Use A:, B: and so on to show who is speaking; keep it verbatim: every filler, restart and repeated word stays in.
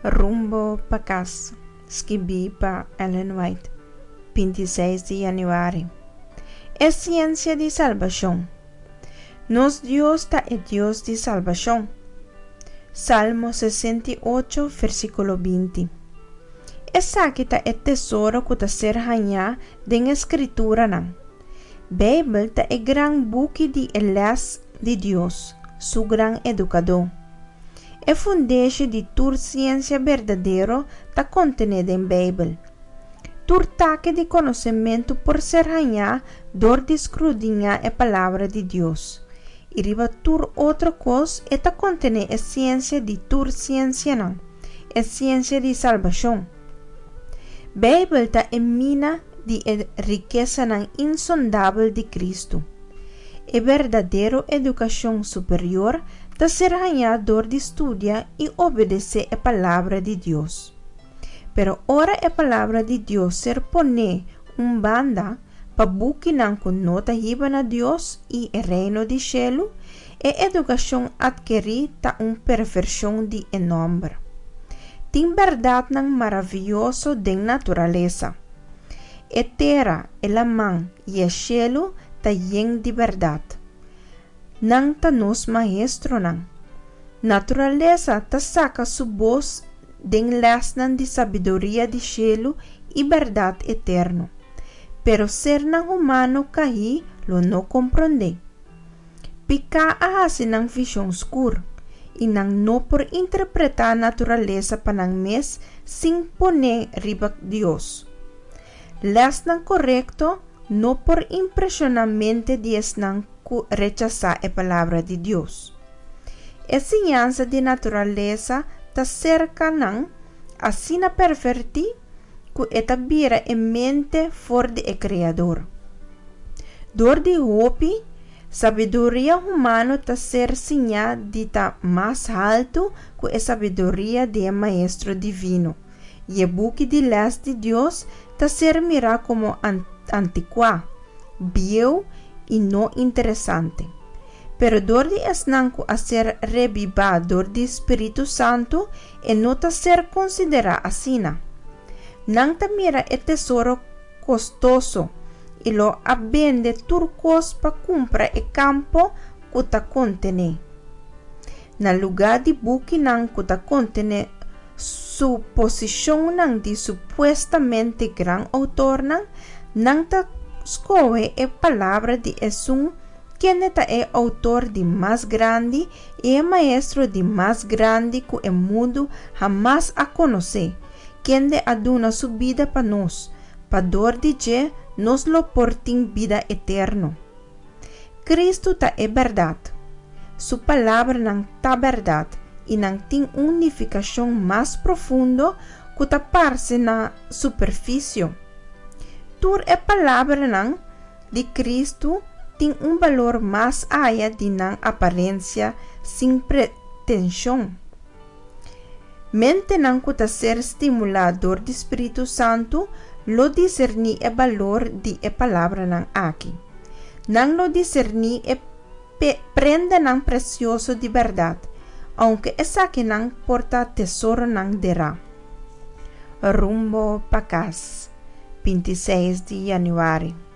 A: Rumbo pa Kas, skibí pa Ellen White, binti i seis di yanüari. E siensia di salbashon. Nos Dios ta e Dios di salbashon. Salmo sesenta i ocho, versíkulo binti. Esaki ta e tesoro ku ta ser hañá den e Skrituranan. Beibel ta e gran buki di e lès di Dios, su gran edukadó. E fundeshi di tur siensia berdadero ta kontené den Beibel. Tur taki di konosementu por ser hañá dor di skrudiñá e Palabra di Dios. I riba tur otro kos e ta kontené e siensia di tur siensianan, e siensia di salbashon. Beibel ta e mina di e rikesanan insondabel di Kristu. E berdadero edukashon superior ta ser hañá dor di studia i obedesé e Palabra di Dios. Pero ora e Palabra di Dios ser poné un banda pa bukinan ku no ta hiba na Dios i e Reino di shelu, e edukashon atkerí ta un pervershon di e nòmber. Tin bèrdatnan maravioso den naturalesa. E tera, e laman i e shelu ta yen di bèrdat. Nan ta nos maestronan. Naturalesa ta saka su bos den lèsnan di sabiduria di shelu i bèrdat eterno. Pero sernan humano kaí lo no komprondé. Piká a hasi nan vishon skur, i nan no por interpretá naturalesa pa nan mes sin pon'é riba Dios. Lèsnan korekto no por impreshoná mente di esnan ku rechasá e Palabra di Dios. E siñansa di naturalesa ta serka nan asina pervertí ku e ta bira e mente for di e Kreador. Dor di hopi, sabiduria humano ta ser siñá di ta mas haltu ku e sabiduria di e Maestro Divino, i e buki di lès di Dios ta ser mirá komo antikuá, bieu i no interesante. Pero dor di esnan ku a ser rebibá dor di Spiritu Santu, e no ta ser konsiderá asina. Nan ta mira e tesoro kostoso i lo a bende tur kos pa kumpra e kampo ku ta kontené. Na lugá di bukinan ku ta kontené suposishonnan di supuestamente gran outornan, nan ta skohe e Palabra di Esun kende ta e outor di mas grandi i e maestro di mas grandi ku e mundu hamas a konosé, kende a duna su bida pa nos, pa dor di dje nos lo por tin bida eterno. Kristu ta e bèrdat. Su palabranan ta bèrdat i nan tin un nifikashon mas profundo ku ta parse na superfisio. Tur e palabranan di Kristu tin un balor mas aya di nan aparensia sin pretenshon. Mentenan ku ta ser stimulá dor di Spiritu Santu lo diserní e balor di e palabranan aki. Nan lo diserní e prendanan presioso di bèrdat, ounke esakinan por ta tesoronan derá. Rumbo pa Kas, binti i seis di yanüari.